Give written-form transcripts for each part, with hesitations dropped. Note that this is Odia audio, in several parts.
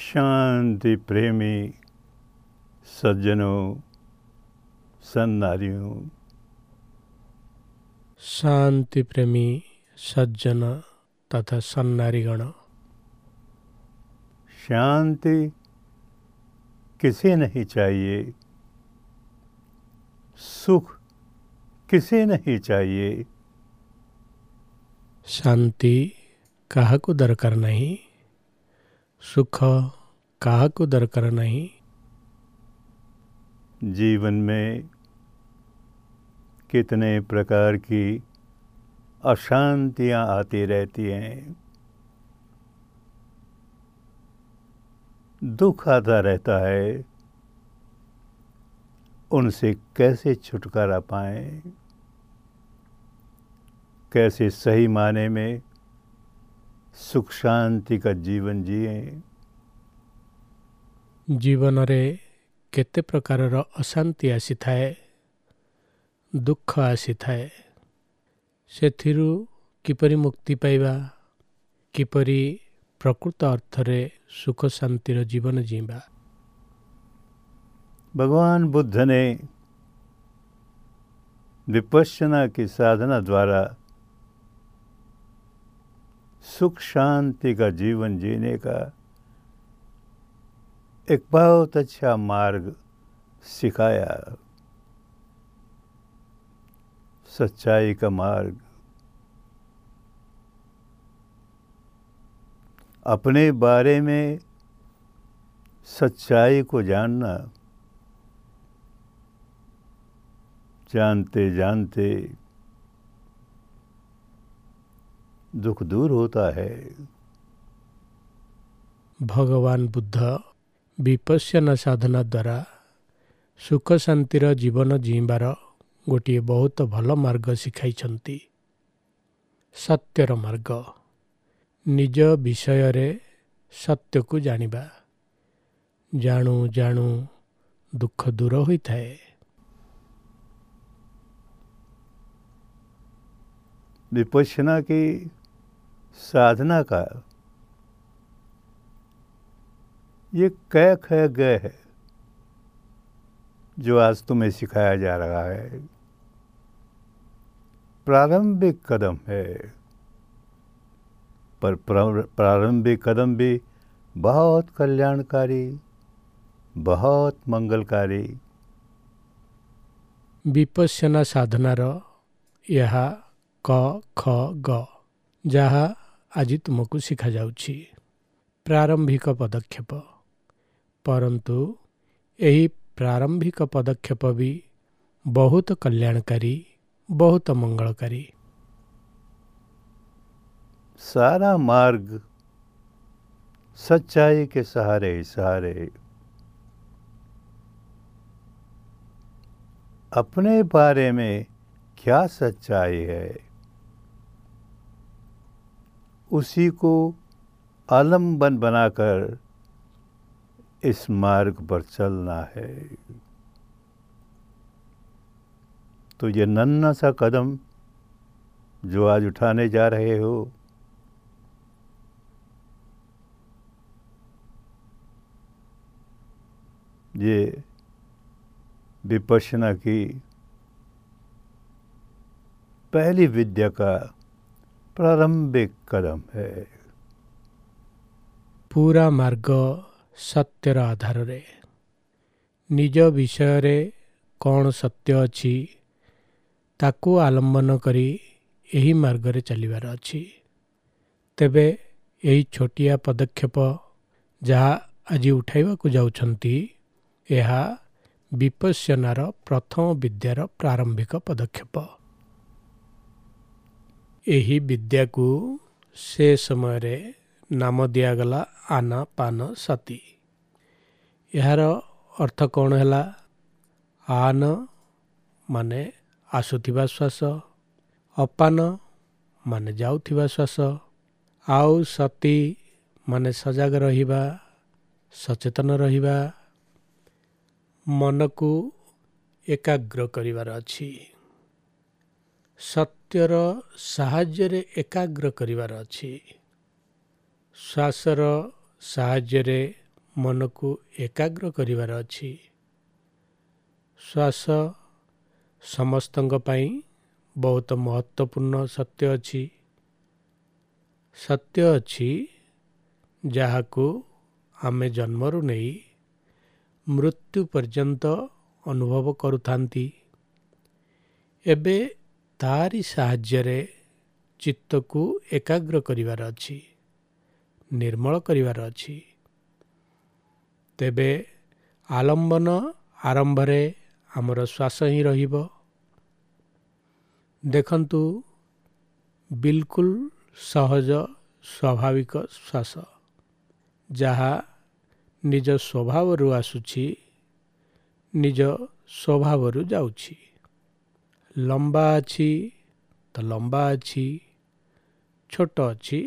शांति प्रेमी सज्जनों, सन्नारियों, शांति प्रेमी सज्जन तथा सन्नारीगण, शांति किसे नहीं चाहिए, सुख किसे नहीं चाहिए। शांति काहाकू दरकार नहीं, सुख काहाकू दरकार नहीं। जीवन में कितने प्रकार की अशांतियाँ आती रहती हैं, दुख आता रहता है, उनसे कैसे छुटकारा पाएं, कैसे सही माने में सुख शांति का जीवन जिए। जीवन रे केते प्रकारर अशांति आसीथाए, दुख आसीथाए, सेथिरु किपरि मुक्ति पाइबा, किपरि प्रकृत अर्थरे सुख शांतिर जीवन जीवा। भगवान बुद्ध ने विपश्यना की साधना द्वारा सुख शांति का जीवन जीने का एक बहुत अच्छा मार्ग सिखाया, सच्चाई का मार्ग। अपने बारे में सच्चाई को जानना, जानते जानते दुख दूर होता है। भगवान बुद्ध विपश्यना साधना द्वारा सुख शांतिर जीवन जीइବାର गोटिए बहुत भल मार्ग शिखाइछन्ति। सत्यर मार्ग, निज विषय रे सत्य को जानिबा। जाणु जाणु दुख दूर होइथाए। विपश्यना की साधना का ये कै ख ग है जो आज तुम्हें सिखाया जा रहा है, प्रारंभिक कदम है, पर प्रारंभिक कदम भी बहुत कल्याणकारी, बहुत मंगलकारी। विपश्यना साधनार यह क ख ग जहाँ आज तुमको शिखा जाଉଛି, प्रारंभिक पदक्षेप। परंतु यही प्रारंभिक पदक्षेप भी बहुत कल्याणकारी, बहुत मंगलकारी। सारा मार्ग सच्चाई के सहारे सहारे अपने बारे में क्या सच्चाई है उसी को आलम्बन बनाकर इस मार्ग पर चलना है। तो ये नन्हा सा कदम जो आज उठाने जा रहे हो, ये विपश्यना की पहली विद्या का प्रारंभिक कदम है। पूरा मार्ग सत्यर आधार रे निज विषय रे कौन सत्य अच्छी ताकू आलम्बन करी एही मार्ग रे चलिबार अछि। तेबे एही छोटिया पदक्षेप जहाँ आज उठाइबाकू जाउछन्ती, एहा विपश्यनार प्रथम विद्यार प्रारंभिक पदक्षेप। एही विद्या को से समय रे नाम दियागला आनापान सती। यार अर्थ कौन है? आन माने आसुथिबा श्वास, अपान माने जाउथिबा श्वास, आउ सती माने सजाग रहिबा, सचेतन रहिबा, मन को एकाग्र करिबार अछि, सत्यर साहाय्यरे एकाग्र करिबार अछि, श्वासर साहाय्यरे ମନକୁ ଏକାଗ୍ର କରିବାର ଅଛି। ଶ୍ୱାସ ସମସ୍ତଙ୍କ ପାଇଁ ବହୁତ ମହତ୍ତ୍ୱପୂର୍ଣ୍ଣ ସତ୍ୟ ଅଛି। ସତ୍ୟ ଅଛି ଯାହାକୁ ଆମେ ଜନ୍ମରୁ ନେଇ ମୃତ୍ୟୁ ପର୍ଯ୍ୟନ୍ତ ଅନୁଭବ କରୁଥାନ୍ତି। ଏବେ ତାରି ସାହାଯ୍ୟରେ ଚିତ୍ତକୁ ଏକାଗ୍ର କରିବାର ଅଛି, ନିର୍ମଳ କରିବାର ଅଛି। ତେବେ ଆଲମ୍ବନ ଆରମ୍ଭରେ ଆମର ଶ୍ୱାସ ହିଁ ରହିବ। ଦେଖନ୍ତୁ, ବିଲକୁଲ ସହଜ ସ୍ୱାଭାବିକ ଶ୍ୱାସ, ଯାହା ନିଜ ସ୍ୱଭାବରୁ ଆସୁଛି, ନିଜ ସ୍ୱଭାବରୁ ଯାଉଛି। ଲମ୍ବା ଅଛି ତ ଲମ୍ବା ଅଛି, ଛୋଟ ଅଛି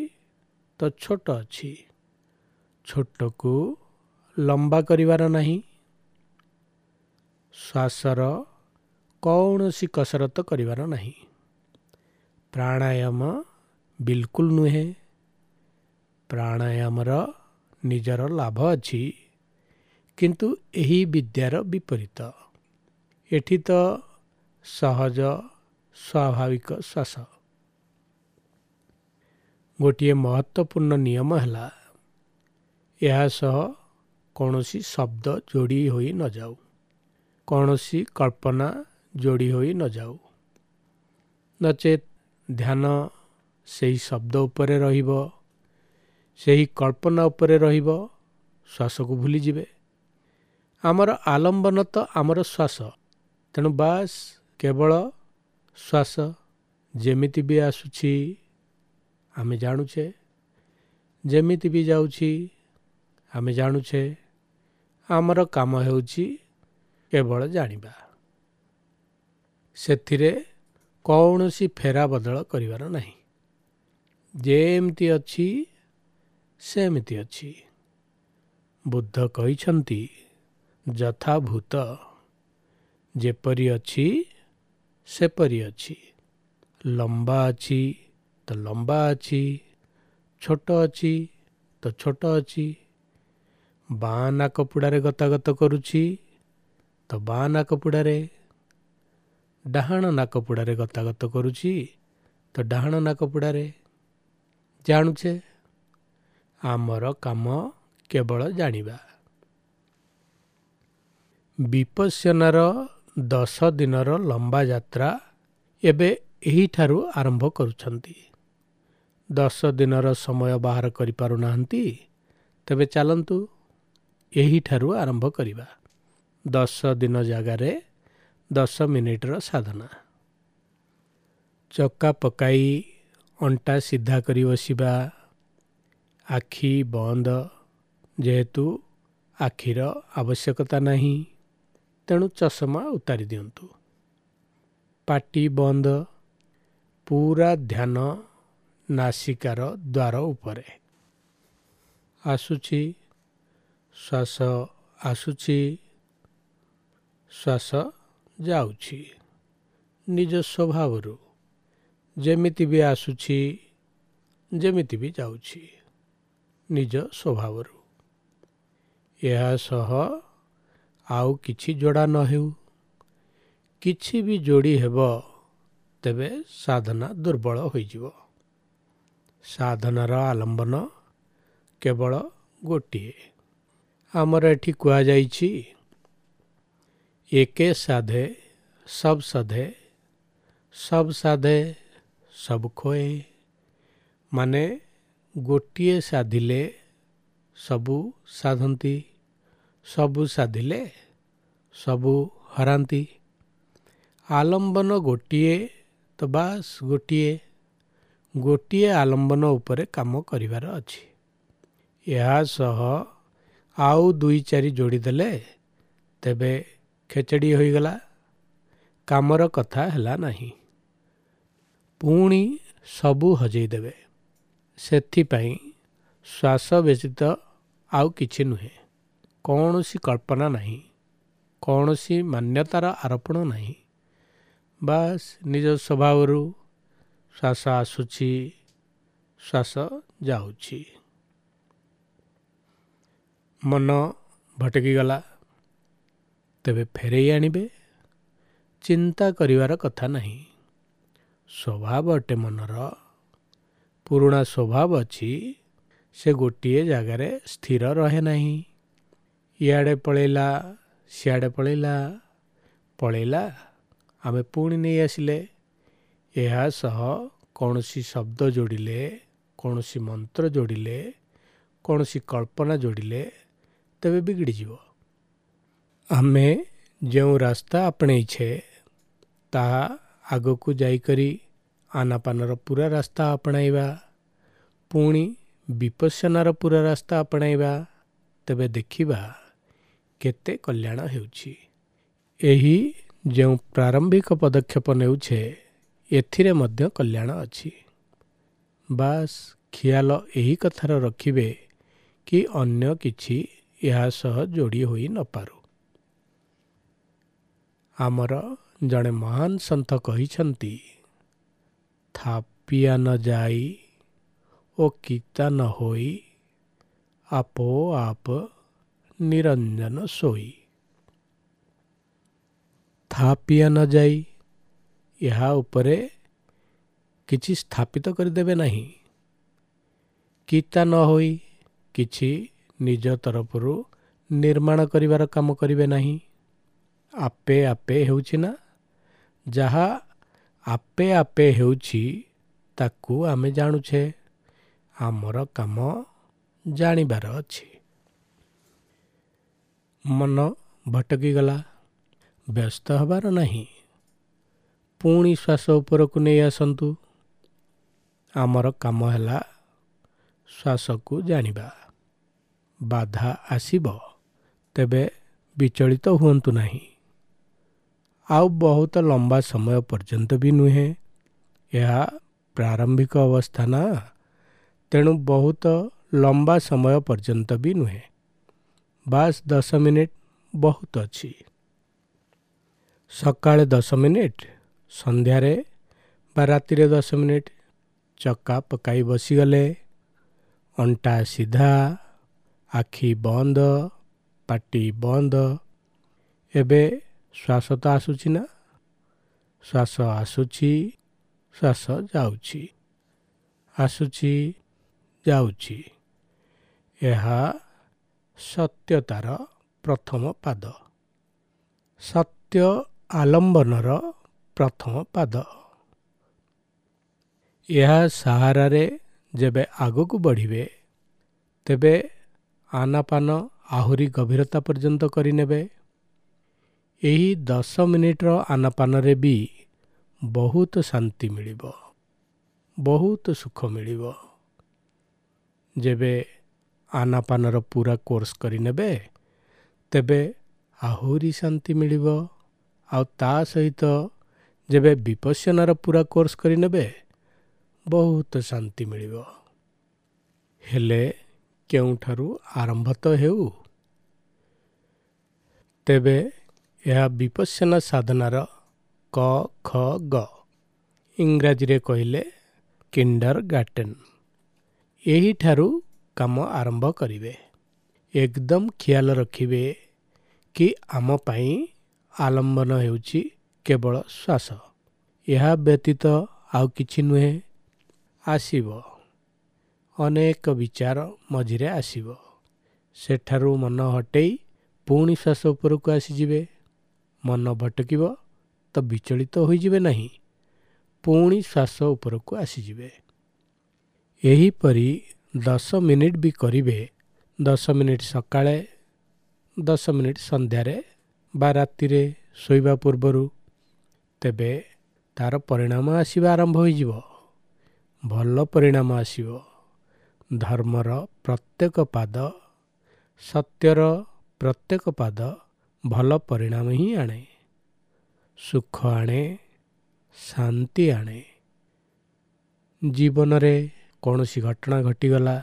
ତ ଛୋଟ ଅଛି। ଛୋଟକୁ ଲମ୍ବା କରିବାର ନାହିଁ। ଶ୍ୱାସର କୌଣସି କସରତ କରିବାର ନାହିଁ। ପ୍ରାଣାୟାମ ବିଲକୁଲ ନୁହେଁ। ପ୍ରାଣାୟାମର ନିଜର ଲାଭ ଅଛି, କିନ୍ତୁ ଏହି ବିଦ୍ୟାର ବିପରୀତ। ଏଠି ତ ସହଜ ସ୍ୱାଭାବିକ ଶ୍ୱାସ। ଗୋଟିଏ ମହତ୍ତ୍ୱପୂର୍ଣ୍ଣ ନିୟମ ହେଲା, ଏହା ସହ କୌଣସି ଶବ୍ଦ ଯୋଡ଼ି ହୋଇ ନଯାଉ, କୌଣସି କଳ୍ପନା ଯୋଡ଼ି ହୋଇ ନଯାଉ। ନଚେତ୍ ଧ୍ୟାନ ସେହି ଶବ୍ଦ ଉପରେ ରହିବ, ସେହି କଳ୍ପନା ଉପରେ ରହିବ, ଶ୍ୱାସକୁ ଭୁଲିଯିବେ। ଆମର ଆଲମ୍ବନ ତ ଆମର ଶ୍ୱାସ, ତେଣୁ ବାସ୍ କେବଳ ଶ୍ୱାସ ଯେମିତି ବି ଆସୁଛି ଆମେ ଜାଣୁଛେ, ଯେମିତି ବି ଯାଉଛି ଆମେ ଜାଣୁଛେ। ଆମର କାମ ହେଉଛି କେବଳ ଜାଣିବା, ସେଥିରେ କୌଣସି ଫେରା ବଦଳ କରିବାର ନାହିଁ। ଯେମିତି ଅଛି ସେମିତି ଅଛି। ବୁଦ୍ଧ କହିଛନ୍ତି ଯଥାଭୂତ, ଯେପରି ଅଛି ସେପରି ଅଛି। ଲମ୍ବା ଅଛି ତ ଲମ୍ବା ଅଛି, ଛୋଟ ଅଛି ତ ଛୋଟ ଅଛି। ବାଁ ନାକପୁଡ଼ାରେ ଗତାଗତ କରୁଛି ତ ବାଁ ନାକପୁଡ଼ାରେ, ଡାହାଣ ନାକପୁଡ଼ାରେ ଗତାଗତ କରୁଛି ତ ଡାହାଣ ନାକପୁଡ଼ାରେ। ଜାଣୁଛେ, ଆମର କାମ କେବଳ ଜାଣିବା। ବିପଶ୍ୟନାର 10 ଦିନର ଲମ୍ବା ଯାତ୍ରା ଏବେ ଏହିଠାରୁ ଆରମ୍ଭ କରୁଛନ୍ତି। 10 ଦିନର ସମୟ ବାହାର କରିପାରୁନାହାନ୍ତି, ତେବେ ଚାଲନ୍ତୁ ଏହିଠାରୁ ଆରମ୍ଭ କରିବା। 10 ଦିନ ଜାଗାରେ 10 ମିନିଟର ସାଧନା। ଚକା ପକାଇ ଅଣ୍ଟା ସିଧା କରି ବସିବା, ଆଖି ବନ୍ଦ, ଯେହେତୁ ଆଖିର ଆବଶ୍ୟକତା ନାହିଁ ତେଣୁ ଚଷମା ଉତାରି ଦିଅନ୍ତୁ। ପାଟି ବନ୍ଦ, ପୁରା ଧ୍ୟାନ ନାସିକାର ଦ୍ୱାର ଉପରେ। ଆସୁଛି ଶ୍ୱାସ, ଆସୁଛି ଶ୍ୱାସ, ଯାଉଛି ନିଜ ସ୍ୱଭାବରୁ, ଯେମିତି ବି ଆସୁଛି ଯେମିତି ବି ଯାଉଛି ନିଜ ସ୍ୱଭାବରୁ। ଏହା ସହ ଆଉ କିଛି ଯୋଡ଼ା ନ ହେଉ। କିଛି ବି ଯୋଡ଼ି ହେବ ତେବେ ସାଧନା ଦୁର୍ବଳ ହୋଇଯିବ। ସାଧନାର ଆଲମ୍ବନ କେବଳ ଗୋଟିଏ। ଆମର ଏଠି କୁହାଯାଇଛି, ଏକେ ସାଧେ ସବ୍ ସଧେ, ସବ୍ ସାଧେ ସବ୍ ଖୋଏ। ମାନେ ଗୋଟିଏ ସାଧିଲେ ସବୁ ସାଧନ୍ତି, ସବୁ ସାଧିଲେ ସବୁ ହରାନ୍ତି। ଆଲମ୍ବନ ଗୋଟିଏ ତ ବାସ୍ ଗୋଟିଏ, ଗୋଟିଏ ଆଲମ୍ବନ ଉପରେ କାମ କରିବାର ଅଛି। ଏହା ସହ ଆଉ 2 4 ଯୋଡ଼ିଦେଲେ ତେବେ ଖେଚେଡ଼ି ହୋଇଗଲା, କାମର କଥା ହେଲା ନାହିଁ, ପୁଣି ସବୁ ହଜେଇ ଦେବେ। ସେଥିପାଇଁ ଶ୍ୱାସ ବ୍ୟତୀତ ଆଉ କିଛି ନୁହେଁ, କୌଣସି କଳ୍ପନା ନାହିଁ, କୌଣସି ମାନ୍ୟତାର ଆରୋପଣ ନାହିଁ। ବାସ୍ ନିଜ ସ୍ୱଭାବରୁ ଶ୍ୱାସ ଆସୁଛି, ଶ୍ୱାସ ଯାଉଛି। ମନ ଭଟକିଗଲା, ତେବେ ଫେରେଇ ଆଣିବେ, ଚିନ୍ତା କରିବାର କଥା ନାହିଁ। ସ୍ୱଭାବ ଅଟେ ମନର, ପୁରୁଣା ସ୍ୱଭାବ ଅଛି, ସେ ଗୋଟିଏ ଜାଗାରେ ସ୍ଥିର ରହେ ନାହିଁ। ଇଆଡ଼େ ପଳେଇଲା, ସିଆଡ଼େ ପଳେଇଲା, ପଳେଇଲା, ଆମେ ପୁଣି ନେଇ ଆସିଲେ। ଏହା ସହ କୌଣସି ଶବ୍ଦ ଯୋଡ଼ିଲେ, କୌଣସି ମନ୍ତ୍ର ଯୋଡ଼ିଲେ, କୌଣସି କଳ୍ପନା ଯୋଡ଼ିଲେ ତେବେ ବିଗିଡ଼ିଯିବ। ଆମେ ଯେଉଁ ରାସ୍ତା ଆପଣେଇଛେ ତାହା ଆଗକୁ ଯାଇକରି ଆନାପାନର ପୁରା ରାସ୍ତା ଆପଣାଇବା, ପୁଣି ବିପස්සନାର ପୁରା ରାସ୍ତା ଆପଣାଇବା, ତେବେ ଦେଖିବା କେତେ କଲ୍ୟାଣ ହେଉଛି। ଏହି ଯେଉଁ ପ୍ରାରମ୍ଭିକ ପଦକ୍ଷେପ ନେଉଛେ ଏଥିରେ ମଧ୍ୟ କଲ୍ୟାଣ ଅଛି। ବାସ୍ ଖିଆଲ ଏହି କଥାର ରଖିବେ କି ଅନ୍ୟ କିଛି ଏହା ସହ ଯୋଡ଼ି ହୋଇ ନପାରୁ। ଆମର ଜଣେ ମହାନ ସନ୍ଥ କହିଛନ୍ତି, ଥାପିଆ ନ ଯାଇ ଓ କିତା ନ ହୋଇ, ଆପୋ ଆପ ନିରଞ୍ଜନ ସୋଇ। ଥାପିଆ ନ ଯାଇ, ଏହା ଉପରେ କିଛି ସ୍ଥାପିତ କରିଦେବେ ନାହିଁ। କିତା ନ ହୋଇ, କିଛି ନିଜ ତରଫରୁ ନିର୍ମାଣ କରିବାର କାମ କରିବେ ନାହିଁ। ଆପେ ଆପେ ହେଉଛି ନା, ଯାହା ଆପେ ଆପେ ହେଉଛି ତାକୁ ଆମେ ଜାଣୁଛେ। ଆମର କାମ ଜାଣିବାର ଅଛି। ମନ ଭଟକିଗଲା, ବ୍ୟସ୍ତ ହେବାର ନାହିଁ, ପୁଣି ଶ୍ୱାସ ଉପରକୁ ନେଇ ଆସନ୍ତୁ। ଆମର କାମ ହେଲା ଶ୍ୱାସକୁ ଜାଣିବା। ବାଧା ଆସିବ ତେବେ ବିଚଳିତ ହୁଅନ୍ତୁ ନାହିଁ। ଆଉ ବହୁତ ଲମ୍ବା ସମୟ ପର୍ଯ୍ୟନ୍ତ ବି ନୁହେଁ, ଏହା ପ୍ରାରମ୍ଭିକ ଅବସ୍ଥା ନା, ତେଣୁ ବହୁତ ଲମ୍ବା ସମୟ ପର୍ଯ୍ୟନ୍ତ ବି ନୁହେଁ। ବାସ୍ 10 ମିନିଟ୍ ବହୁତ ଅଛି। ସକାଳେ 10 ମିନିଟ୍, ସନ୍ଧ୍ୟାରେ ବା ରାତିରେ 10 ମିନିଟ୍ ଚକା ପକାଇ ବସିଗଲେ, ଅଣ୍ଟା ସିଧା, ଆଖି ବନ୍ଦ, ପାଟି ବନ୍ଦ। ଏବେ ଶ୍ୱାସ ତ ଆସୁଛି ନା, ଶ୍ୱାସ ଆସୁଛି, ଶ୍ୱାସ ଯାଉଛି, ଆସୁଛି, ଯାଉଛି। ଏହା ସତ୍ୟତାର ପ୍ରଥମ ପାଦ, ସତ୍ୟ ଆଲମ୍ବନର ପ୍ରଥମ ପାଦ। ଏହା ସାହାରାରେ ଯେବେ ଆଗକୁ ବଢ଼ିବେ ତେବେ ଆନାପାନ ଆହୁରି ଗଭୀରତା ପର୍ଯ୍ୟନ୍ତ କରିନେବେ। ଏହି 10 ମିନିଟ୍ର ଆନାପାନରେ ବି ବହୁତ ଶାନ୍ତି ମିଳିବ, ବହୁତ ସୁଖ ମିଳିବ। ଯେବେ ଆନାପାନର ପୁରା କୋର୍ସ କରିନେବେ ତେବେ ଆହୁରି ଶାନ୍ତି ମିଳିବ। ଆଉ ତା ସହିତ ଯେବେ ବିପස්සନାର ପୁରା କୋର୍ସ କରିନେବେ ବହୁତ ଶାନ୍ତି ମିଳିବ। ହେଲେ କେଉଁଠାରୁ ଆରମ୍ଭ ତ ହେଉ। ତେବେ ଏହା ବିପස්සନା ସାଧନାର କ ଖ ଗ, ଇଂରାଜୀରେ କହିଲେ କିଣ୍ଡର ଗାର୍ଟେନ୍। ଏହିଠାରୁ କାମ ଆରମ୍ଭ କରିବେ। ଏକଦମ ଖିଆଲ ରଖିବେ କି ଆମ ପାଇଁ ଆଲମ୍ବନ ହେଉଛି କେବଳ ଶ୍ୱାସ, ଏହା ବ୍ୟତୀତ ଆଉ କିଛି ନୁହେଁ। ଆସିବ ଅନେକ ବିଚାର ମଝିରେ ଆସିବ, ସେଠାରୁ ମନ ହଟେଇ ପୁଣି ଶ୍ୱାସ ଉପରକୁ ଆସିଯିବେ। ମନ ଭଟକିବ ତ ବିଚଳିତ ହୋଇଯିବେ ନାହିଁ, ପୁଣି ଶ୍ୱାସ ଉପରକୁ ଆସିଯିବେ। ଏହିପରି 10 ମିନିଟ୍ ବି କରିବେ। 10 ମିନିଟ୍ ସକାଳେ, 10 ମିନିଟ୍ ସନ୍ଧ୍ୟାରେ ବା ରାତିରେ ଶୋଇବା ପୂର୍ବରୁ, ତେବେ ତାର ପରିଣାମ ଆସିବା ଆରମ୍ଭ ହୋଇଯିବ। ଭଲ ପରିଣାମ ଆସିବ। ଧର୍ମର ପ୍ରତ୍ୟେକ ପାଦ, ସତ୍ୟର ପ୍ରତ୍ୟେକ ପାଦ ଭଲ ପରିଣାମ ହିଁ ଆଣେ, ସୁଖ ଆଣେ, ଶାନ୍ତି ଆଣେ। ଜୀବନରେ କୌଣସି ଘଟଣା ଘଟିଗଲା,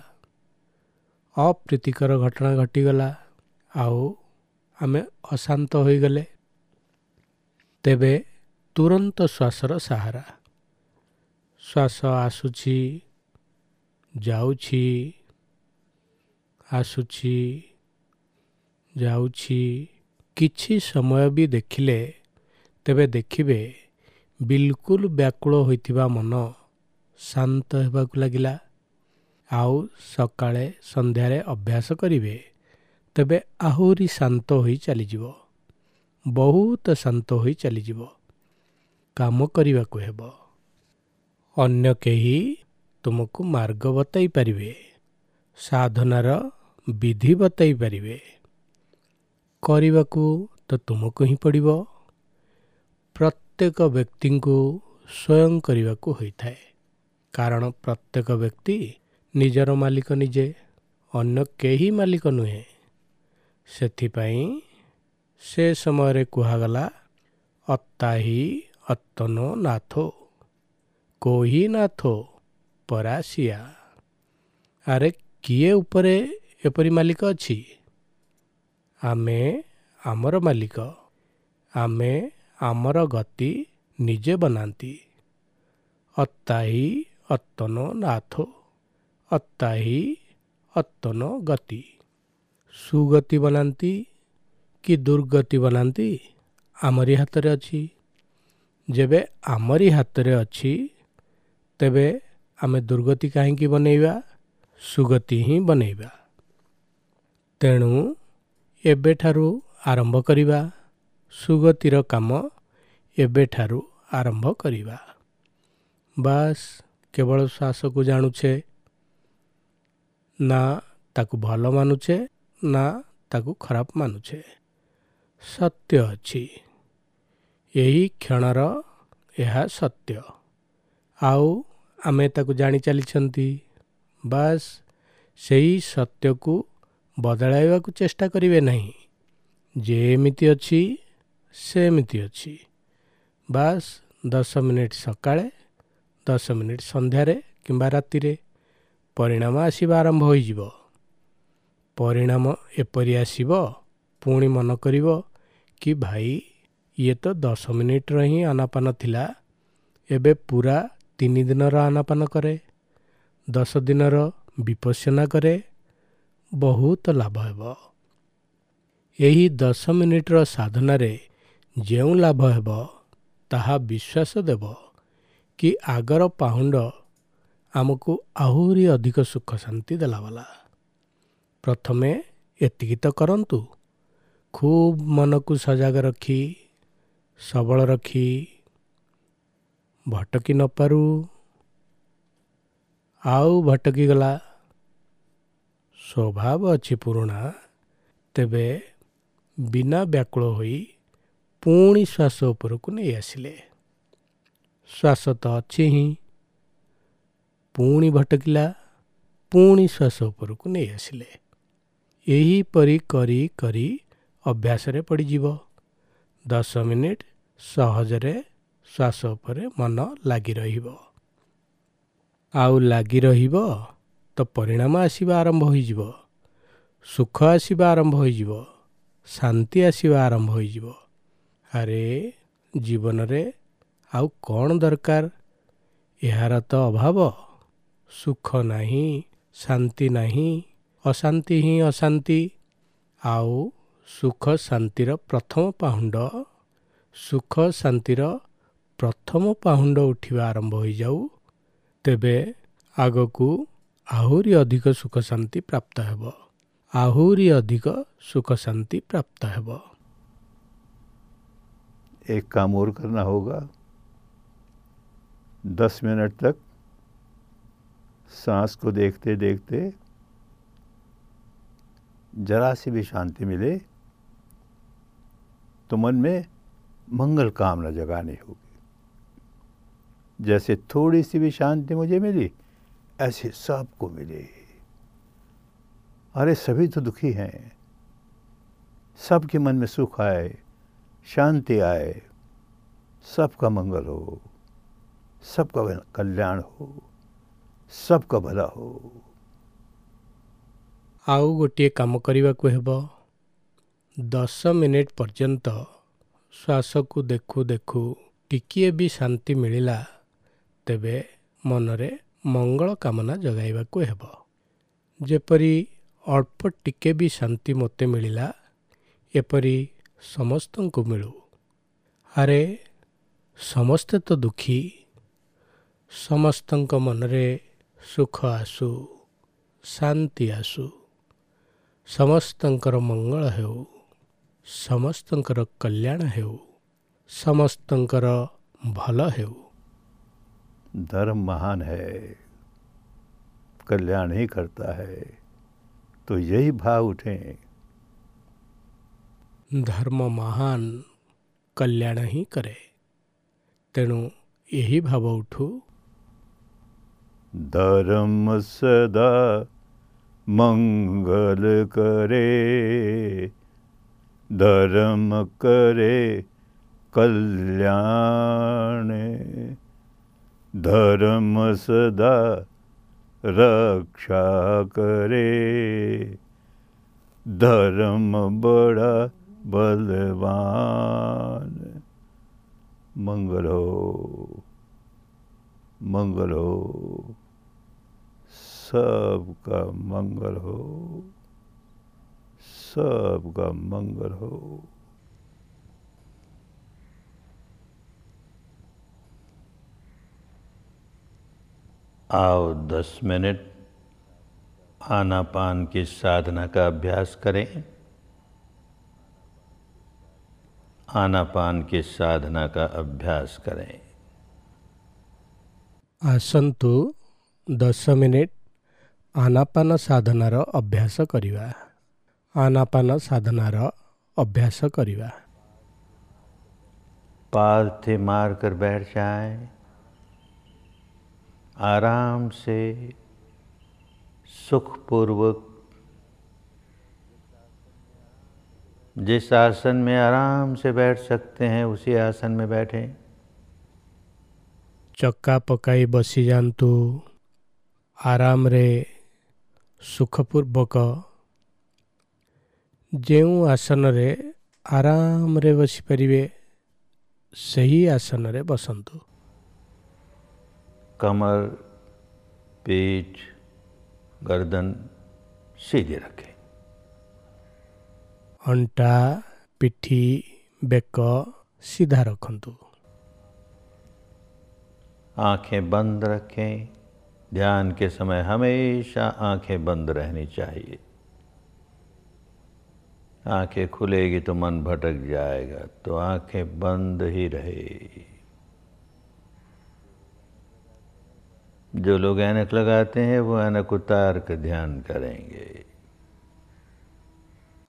ଅପ୍ରୀତିକର ଘଟଣା ଘଟିଗଲା, ଆଉ ଆମେ ଅଶାନ୍ତ ହୋଇଗଲେ, ତେବେ ତୁରନ୍ତ ଶ୍ୱାସର ସାହାରା। ଶ୍ୱାସ ଆସୁଛି, ଯାଉଛି, ଆସୁଛି, ଯାଉଛି, କିଛି ସମୟ ବି ଦେଖିଲେ ତେବେ ଦେଖିବେ ବିଲକୁଲ ବ୍ୟାକୁଳ ହୋଇଥିବା ମନ ଶାନ୍ତ ହେବାକୁ ଲାଗିଲା। ଆଉ ସକାଳେ ସନ୍ଧ୍ୟାରେ ଅଭ୍ୟାସ କରିବେ ତେବେ ଆହୁରି ଶାନ୍ତ ହୋଇ ଚାଲିଯିବ, ବହୁତ ଶାନ୍ତ ହୋଇ ଚାଲିଯିବ। କାମ କରିବାକୁ ହେବ। ଅନ୍ୟ କେହି ତୁମକୁ ମାର୍ଗ ବତାଇ ପାରିବେ, ସାଧନାର ବିଧି ବତାଇ ପାରିବେ, କରିବାକୁ ତ ତୁମକୁ ହିଁ ପଡ଼ିବ। ପ୍ରତ୍ୟେକ ବ୍ୟକ୍ତିଙ୍କୁ ସ୍ୱୟଂ କରିବାକୁ ହୋଇଥାଏ, କାରଣ ପ୍ରତ୍ୟେକ ବ୍ୟକ୍ତି ନିଜର ମାଲିକ ନିଜେ, ଅନ୍ୟ କେହି ମାଲିକ ନୁହେଁ। ସେଥିପାଇଁ ସେ ସମୟରେ କୁହାଗଲା, ଅତ୍ତାହି ଅତ୍ତନୋ ନାଥୋ କୋହି ନାଥୋ ପରାସିଆ। ଆରେ କିଏ ଉପରେ ଏପରି ମାଲିକ ଅଛି? ଆମେ ଆମର ମାଲିକ, ଆମେ ଆମର ଗତି ନିଜେ ବନାନ୍ତି। ଅତ୍ତାହି ଅତ୍ତନୋ ନାଥୋ, ଅତ୍ତାହି ଅତ୍ତନୋ ଗତି। ସୁଗତି ବନାନ୍ତି କି ଦୁର୍ଗତି ବନାନ୍ତି ଆମରି ହାତରେ ଅଛି। ଯେବେ ଆମରି ହାତରେ ଅଛି ତେବେ ଆମେ ଦୁର୍ଗତି କାହିଁକି ବନେଇବା? ସୁଗତି ହିଁ ବନେଇବା। ତେଣୁ ଏବେଠାରୁ ଆରମ୍ଭ କରିବା, ସୁଗତିର କାମ ଏବେଠାରୁ ଆରମ୍ଭ କରିବା। ବାସ୍, କେବଳ ଶ୍ୱାସକୁ ଜାଣୁଛେ ନା ତାକୁ ଭଲ ମାନୁଛେ ନା ତାକୁ ଖରାପ ମାନୁଛେ। ସତ୍ୟ ଅଛି, ଏହି କ୍ଷଣର ଏହା ସତ୍ୟ, ଆଉ ଆମେ ତାକୁ ଜାଣି ଚାଲିଛନ୍ତି। ବାସ୍, ସେଇ ସତ୍ୟକୁ ବଦଳାଇବାକୁ ଚେଷ୍ଟା କରିବେ ନାହିଁ। ଯେମିତି ଅଛି ସେମିତି ଅଛି। ବାସ୍, 10 ମିନିଟ୍ ସକାଳେ, 10 ମିନିଟ୍ ସନ୍ଧ୍ୟାରେ କିମ୍ବା ରାତିରେ ପରିଣାମ ଆସିବା ଆରମ୍ଭ ହୋଇଯିବ। ପରିଣାମ ଏପରି ଆସିବ, ପୁଣି ମନ କରିବ କି ଭାଇ ଇଏ ତ 10 ମିନିଟ୍ର ହିଁ ଆନାପାନ ଥିଲା, ଏବେ ପୁରା 3 ଦିନର ଆନାପାନ କରେ, 10 ଦିନର ବିପଶ୍ୟନା କରେ, ବହୁତ ଲାଭ ହେବ। ଏହି 10 ମିନିଟ୍ର ସାଧନାରେ ଯେଉଁ ଲାଭ ହେବ ତାହା ବିଶ୍ୱାସ ଦେବ କି ଆଗର ପାହୁଣ୍ଡ ଆମକୁ ଆହୁରି ଅଧିକ ସୁଖ ଶାନ୍ତି ଦେଲାବାଲା। ପ୍ରଥମେ ଏତିକି ତ କରନ୍ତୁ। ଖୁବ୍ ମନକୁ ସଜାଗ ରଖି, ସବଳ ରଖି, ଭଟକି ନପାରୁ। ଆଉ ଭଟକିଗଲା, ସ୍ୱଭାବ ଅଛି ପୁରୁଣା, ତେବେ ବିନା ବ୍ୟାକୁଳ ହୋଇ ପୁଣି ଶ୍ୱାସ ଉପରକୁ ନେଇ ଆସିଲେ। ଶ୍ୱାସ ତ ଅଛି ହିଁ, ପୁଣି ଭଟକିଲା, ପୁଣି ଶ୍ୱାସ ଉପରକୁ ନେଇ ଆସିଲେ। ଏହିପରି କରି କରି ଅଭ୍ୟାସରେ ପଡ଼ିଯିବ। 10 ମିନିଟ୍ ସହଜରେ ଶ୍ୱାସ ଉପରେ ମନ ଲାଗି ରହିବ। ଆଉ ଲାଗି ରହିବ ତ ପରିଣାମ ଆସିବା ଆରମ୍ଭ ହୋଇଯିବ, ସୁଖ ଆସିବା ଆରମ୍ଭ ହୋଇଯିବ, ଶାନ୍ତି ଆସିବା ଆରମ୍ଭ ହୋଇଯିବ। ଆରେ ଜୀବନରେ ଆଉ କ'ଣ ଦରକାର? ଏହାର ତ ଅଭାବ, ସୁଖ ନାହିଁ, ଶାନ୍ତି ନାହିଁ, ଅଶାନ୍ତି ହିଁ ଅଶାନ୍ତି। ଆଉ ସୁଖ ଶାନ୍ତିର ପ୍ରଥମ ପାହୁଣ୍ଡ, ସୁଖ ଶାନ୍ତିର ପ୍ରଥମ ପାହୁଣ୍ଡ ଉଠିବା ଆରମ୍ଭ ହୋଇଯାଉ, ତେବେ ଆଗକୁ ଆହୁରି ଅଧିକ ସୁଖ ଶାନ୍ତି ପ୍ରାପ୍ତ ହେବ, ଆହୁରି ଅଧିକ ସୁଖ ଶାନ୍ତି ପ୍ରାପ୍ତ ହେବ। एक काम और करना होगा। 10 मिनट तक सांस को देखते देखते जरा सी भी शांति मिले तो मन में मंगल कामना जगानी होगी। जैसे थोड़ी सी भी शांति मुझे मिली, ऐसे सबको मिले। अरे सभी तो दुखी हैं, सबके मन में सुख आए, शांति आए, सबका मंगल हो, सबका कल्याण हो, सबका भला हो। ଆଉ ଗୋଟିଏ କାମ କରିବାକୁ ହେବ। 10 ମିନିଟ୍ ପର୍ଯ୍ୟନ୍ତ ଶ୍ୱାସକୁ ଦେଖୁ ଦେଖୁ ଟିକିଏ ବି ଶାନ୍ତି ମିଳିଲା, ତେବେ ମନରେ ମଙ୍ଗଳ କାମନା ଜଗାଇବାକୁ ହେବ। ଯେପରି ଅଳ୍ପ ଟିକେ ବି ଶାନ୍ତି ମୋତେ ମିଳିଲା, ଏପରି ସମସ୍ତଙ୍କୁ ମିଳୁ। ଆରେ ସମସ୍ତେ ତ ଦୁଃଖୀ, ସମସ୍ତଙ୍କ ମନରେ ସୁଖ ଆସୁ, ଶାନ୍ତି ଆସୁ, ସମସ୍ତଙ୍କର ମଙ୍ଗଳ ହେଉ, ସମସ୍ତଙ୍କର କଲ୍ୟାଣ ହେଉ, ସମସ୍ତଙ୍କର ଭଲ ହେଉ। धर्म महान है, कल्याण ही करता है, तो यही भाव उठे। ଧର୍ମ ମହାନ, କଲ୍ୟାଣ ହିଁ କରେ, ତେଣୁ ଏହି ଭାବ ଉଠୁ। धर्म सदा मंगल करे, धर्म करे कल्याण, धर्म सदा रक्षा करे, धर्म बड़ा बलवान। मंगल हो, मंगल हो, सबका मंगल हो, सबका मंगल हो। आओ 10 मिनट आनापान की साधना का अभ्यास करें। आनापान की साधना का अभ्यास करें। ଆସନ୍ତୁ 10 ମିନିଟ୍ ଆନାପାନ ସାଧନାର ଅଭ୍ୟାସ କରିବା। ଆନାପାନ ସାଧନାର ଅଭ୍ୟାସ କରିବା। पालथी मार कर बैठ जाएं, आराम से सुखपूर्वक। जिस आसन में आराम से बैठ सकते हैं उसी आसन में बैठें। ଚକା ପକାଇ ବସିଯାଆନ୍ତୁ ଆରାମରେ, ସୁଖପୂର୍ବକ। ଯେଉଁ ଆସନରେ ଆରାମରେ ବସିପାରିବେ ସେହି ଆସନରେ ବସନ୍ତୁ। कमर, पीठ, गर्दन सीधी रखें। ଅଣ୍ଟା, ପିଠି, ବେକ ସିଧା ରଖନ୍ତୁ। आंखें बंद रखें। ध्यान के समय हमेशा आंखें बंद रहनी चाहिए। आंखें खुलेगी तो मन भटक जाएगा, तो आंखें बंद ही रहे। जो लोग ऐनक लगाते हैं वो ऐनक उतार कर ध्यान करेंगे।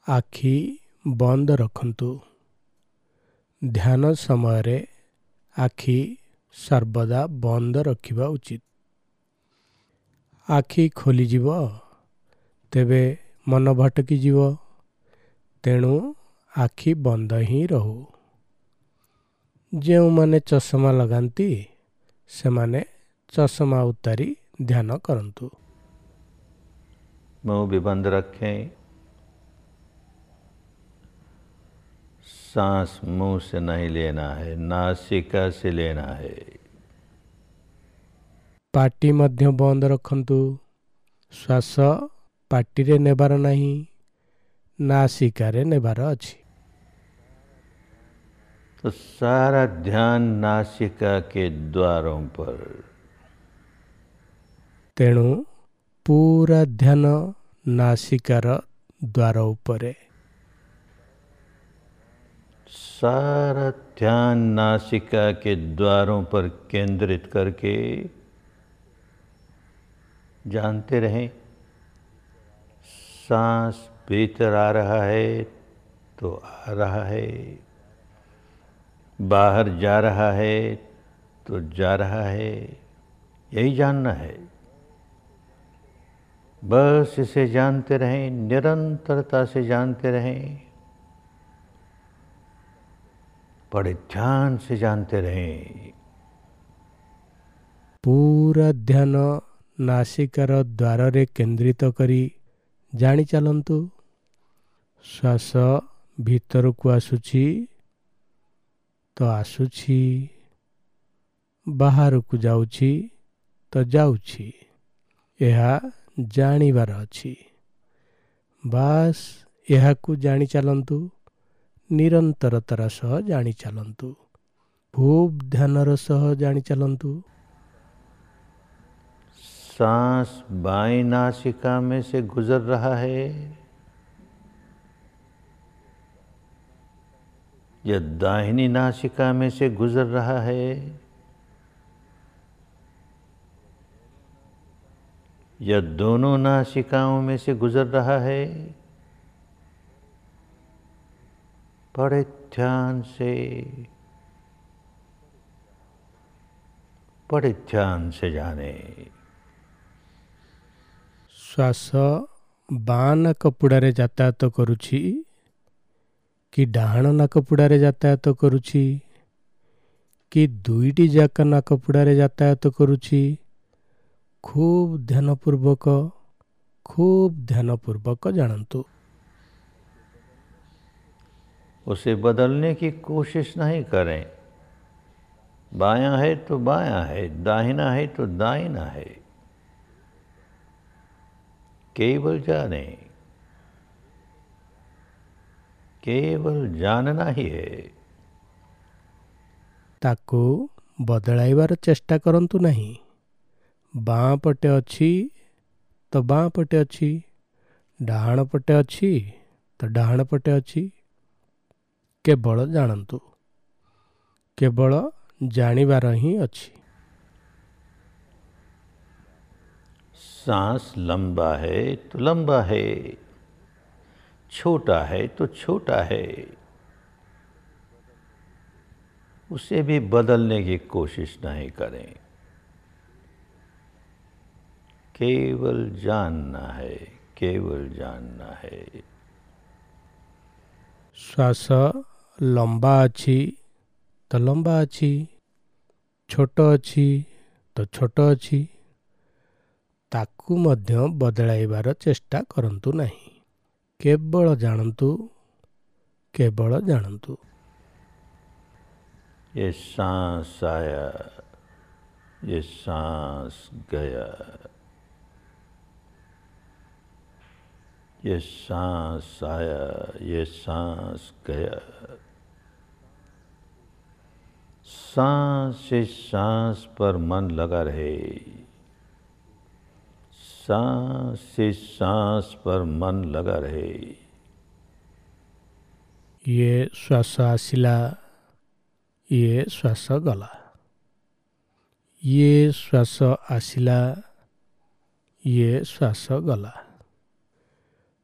ଆଖି ବନ୍ଦ ରଖନ୍ତୁ। ଧ୍ୟାନ ସମୟରେ ଆଖି ସର୍ବଦା ବନ୍ଦ ରଖିବା ଉଚିତ। ଆଖି ଖୋଲିଯିବ ତେବେ ମନ ଭଟକିଯିବ, ତେଣୁ ଆଖି ବନ୍ଦ ହିଁ ରହୁ। ଯେଉଁମାନେ ଚଷମା ଲଗାନ୍ତି ସେମାନେ ଚଷମା ଉତାରି ଧ୍ୟାନ କରନ୍ତୁ। मुंह भी बंद रखें। सांस मुंह से नहीं लेना है, नासिका से लेना है। ପାଟି ମଧ୍ୟ ବନ୍ଦ ରଖନ୍ତୁ। ଶ୍ୱାସ ପାଟିରେ ନେବାର ନାହିଁ, ନାସିକାରେ ନେବାର ଅଛି। तो सारा ध्यान नासिका के द्वारों पर। ତେଣୁ ପୁରା ଧ୍ୟାନ ନାସିକାର ଦ୍ୱାର ଉପରେ। सारा ध्यान नासिका के द्वारों पर केंद्रित करके जानते रहें, सांस भीतर आ रहा है तो आ रहा है, बाहर जा रहा है तो जा रहा है, यही जानना है। बस इसे जानते रहें, निरंतरता से जानते रहें, बड़े ध्यान से जानते रहें। ପୁରା ଧ୍ୟାନ ନାସିକାର ଦ୍ୱାରରେ କେନ୍ଦ୍ରିତ କରି ଜାଣି ଚାଲନ୍ତୁ। ଶ୍ୱାସ ଭିତରକୁ ଆସୁଛି ତ ଆସୁଛି, ବାହାରକୁ ଯାଉଛି ତ ଯାଉଛି, ଏହା ଜାଣିବାର ଅଛି। ବାସ୍ ଏହାକୁ ଜାଣି ଚାଲନ୍ତୁ ନିରନ୍ତରତାର ସହ ଜାଣି ଚାଲନ୍ତୁ, ଖୁବ୍ ଧ୍ୟାନର ସହ ଜାଣି ଚାଲନ୍ତୁ। सांस बाईं नासिका में से गुजर रहा है या दाहिनी नासिका में से गुजर रहा है या दोनों नासिकाओं में से गुजर रहा है, बड़े ध्यान से, बड़े ध्यान से जाने। ଶ୍ୱାସ ବାଁ ନାକପୁଡ଼ାରେ ଯାତାୟାତ କରୁଛି କି ଡାହାଣ ନାକପୁଡ଼ାରେ ଯାତାୟାତ କରୁଛି କି ଦୁଇଟି ଯାକ ନାକପୁଡ଼ାରେ ଯାତାୟାତ କରୁଛି, ଖୁବ୍ ଧ୍ୟାନପୂର୍ବକ, ଖୁବ୍ ଧ୍ୟାନପୂର୍ବକ ଜାଣନ୍ତୁ। उसे बदलने की कोशिश नहीं करें। बायां है तो बायां है, दाहिना है तो दाहिना है, केवल जाने, केवल जानना ही है। ତାକୁ ବଦଳାଇବାର ଚେଷ୍ଟା କରନ୍ତୁ ନାହିଁ। ବାଁ ପଟେ ଅଛି ତ ବାଁ ପଟେ ଅଛି, ଡାହାଣ ପଟେ ଅଛି ତ ଡାହାଣ ପଟେ ଅଛି। କେବଳ ଜାଣନ୍ତୁ, କେବଳ ଜାଣିବାର ହିଁ ଅଛି। सांस लंबा है तो लंबा है, छोटा है तो छोटा है, उसे भी बदलने की कोशिश नहीं करें। केवल जानना है, केवल जानना है। ଶ୍ୱାସ ଲମ୍ବା ଅଛି ତ ଲମ୍ବା ଅଛି, ଛୋଟ ଅଛି ତ ଛୋଟ ଅଛି, ତାକୁ ମଧ୍ୟ ବଦଳାଇବାର ଚେଷ୍ଟା କରନ୍ତୁ ନାହିଁ। କେବଳ ଜାଣନ୍ତୁ, କେବଳ ଜାଣନ୍ତୁ। ये सांस आया, ये सांस गया, ये सांस आया, ये सांस गया। सांस से सांस पर मन लगा रहे, सांस से सांस पर मन लगा रहे। ଇଏ ଶ୍ୱାସ ଆସିଲା, ଇଏ ଶ୍ୱାସ ଗଲା, ଇଏ ଶ୍ୱାସ ଆସିଲା, ଇଏ ଶ୍ୱାସ ଗଲା।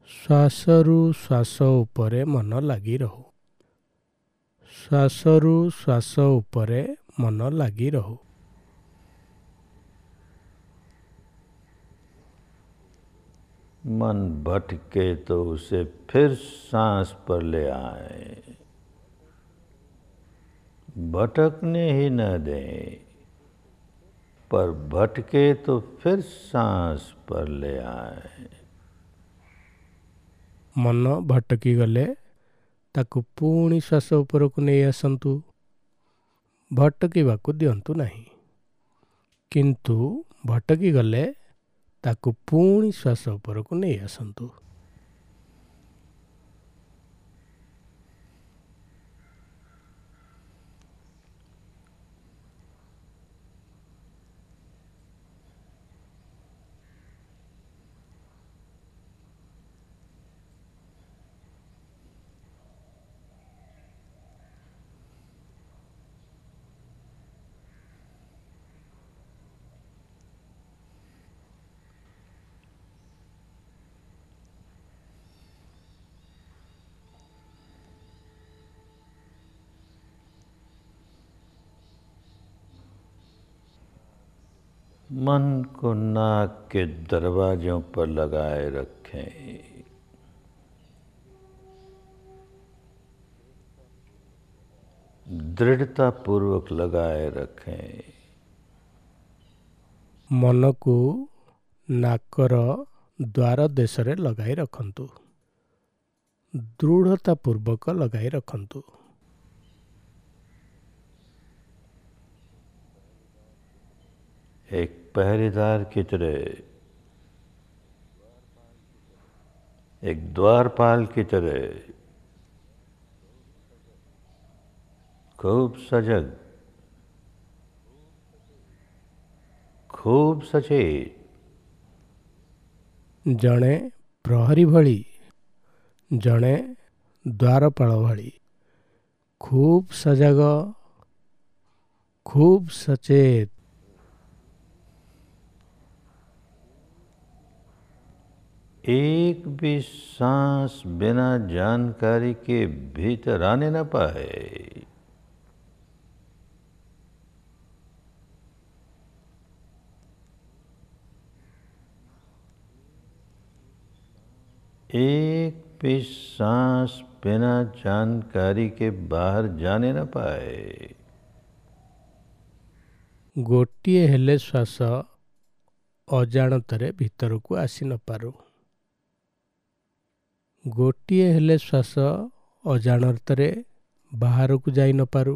ଶ୍ୱାସରୁ ଶ୍ୱାସ ଉପରେ ମନ ଲାଗି ରହୁ, ଶ୍ୱାସରୁ ଶ୍ୱାସ ଉପରେ ମନ ଲାଗି ରହୁ। मन भटके तो उसे फिर सांस पर ले आए, भटकने ही न दें, पर भटके तो फिर सांस पर ले आए। ମନ ଭଟକି ଗଲେ ତାକୁ ପୁଣି ଶ୍ୱାସ ଉପରକୁ ନେଇ ଆସନ୍ତୁ, ଭଟକିବାକୁ ଦିଅନ୍ତୁ ନାହିଁ। କିନ୍ତୁ ଭଟକି ଗଲେ ତାକୁ ପୁଣି ଶ୍ୱାସ ଉପରକୁ ନେଇ ଆସନ୍ତୁ। मन को नाक के दरवाजों पर लगाए रखें। दृढ़ता पूर्वक लगाए रखें। ମନକୁ ନାକର ଦ୍ୱାର ଦେଶରେ ଲଗାଇ ରଖନ୍ତୁ, ଦୃଢ଼ତା ପୂର୍ବକ ଲଗାଇ ରଖନ୍ତୁ। एक पहरेदार की तरह, एक द्वारपाल की तरह खूब सजग, खूब सचेत। ଜଣେ ପ୍ରହରୀ ଭଳି, ଜଣେ ଦ୍ୱାରପାଳ ଭଳି ଖୁବ୍ ସଜାଗ, ଖୁବ୍ ସଚେତ। एक भी सांस बिना जानकारी के भीतर आने न पाए। एक भी सांस बिना जानकारी के बाहर जाने न पाए। ଗୋଟିଏ ହେଲେ ଶ୍ୱାସ ଅଜାଣତରେ ଭିତରକୁ ଆସି ନପାରୁ। ଗୋଟିଏ ହେଲେ ଶ୍ୱାସ ଅଜାଣତରେ ବାହାରକୁ ଯାଇ ନପାରୁ।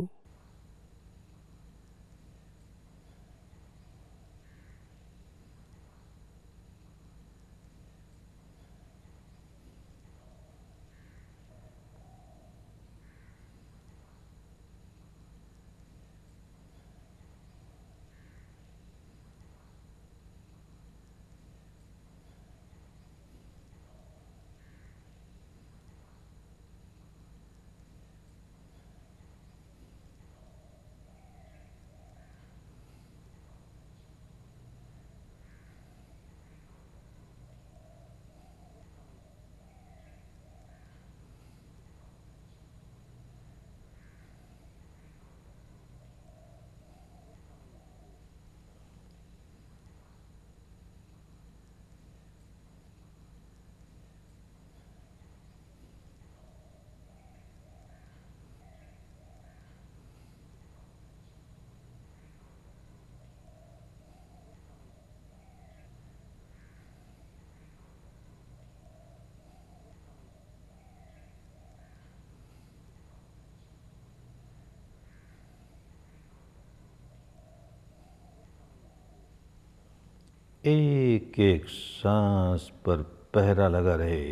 एक एक सांस पर पहरा लगा रहे।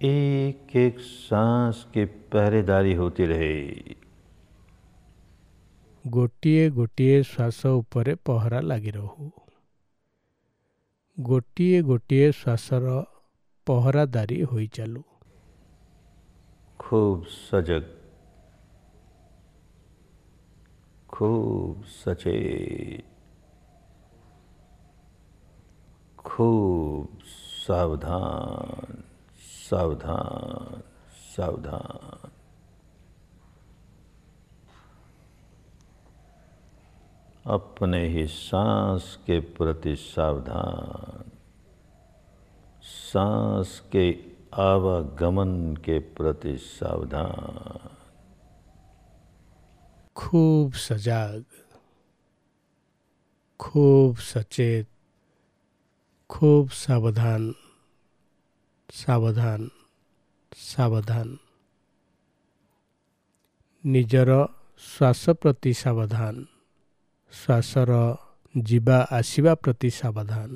एक एक सांस की पहरेदारी होती रहे। ଗୋଟିଏ ଗୋଟିଏ ଶ୍ୱାସ ଉପରେ ପହରା ଲାଗି ରହୁ। ଗୋଟିଏ ଗୋଟିଏ ଶ୍ୱାସର ପହରାଦାରୀ ହୋଇ ଚାଲୁ। खूब सजग, खूब सचेत, खूब सावधान, सावधान, सावधान। अपने ही सांस के प्रति सावधान, सांस के आवागमन के प्रति सावधान। खूब सजाग, खूब सचेत, खूब सावधान, सावधान, सावधान। ନିଜର ଶ୍ୱାସ ପ୍ରତି ସାବଧାନ, ଶ୍ୱାସର ଯିବା ଆସିବା ପ୍ରତି ସାବଧାନ।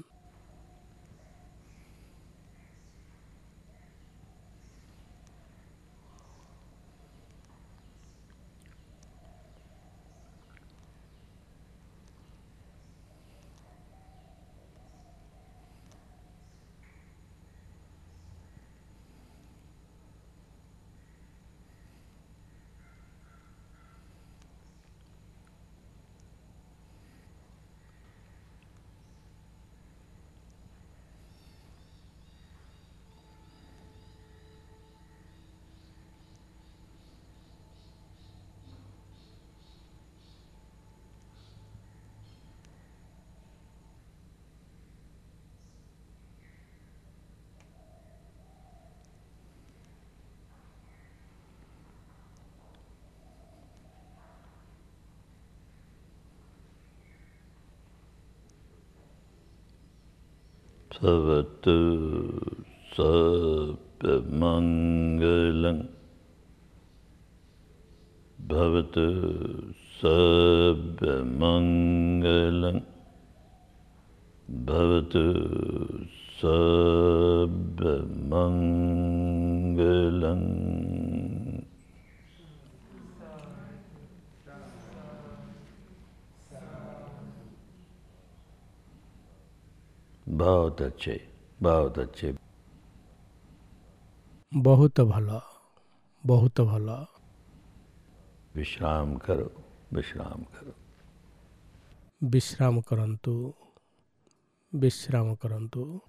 भवतु सर्वमङ्गलं, भवतु सर्वमङ्गलं, भवतु सर्वमंगलं। बहुत अच्छे, बहुत अच्छे। ବହୁତ ଭଲ, ବହୁତ ଭଲ। विश्राम करो, विश्राम करो। ବିଶ୍ରାମ କରନ୍ତୁ, ବିଶ୍ରାମ କରନ୍ତୁ।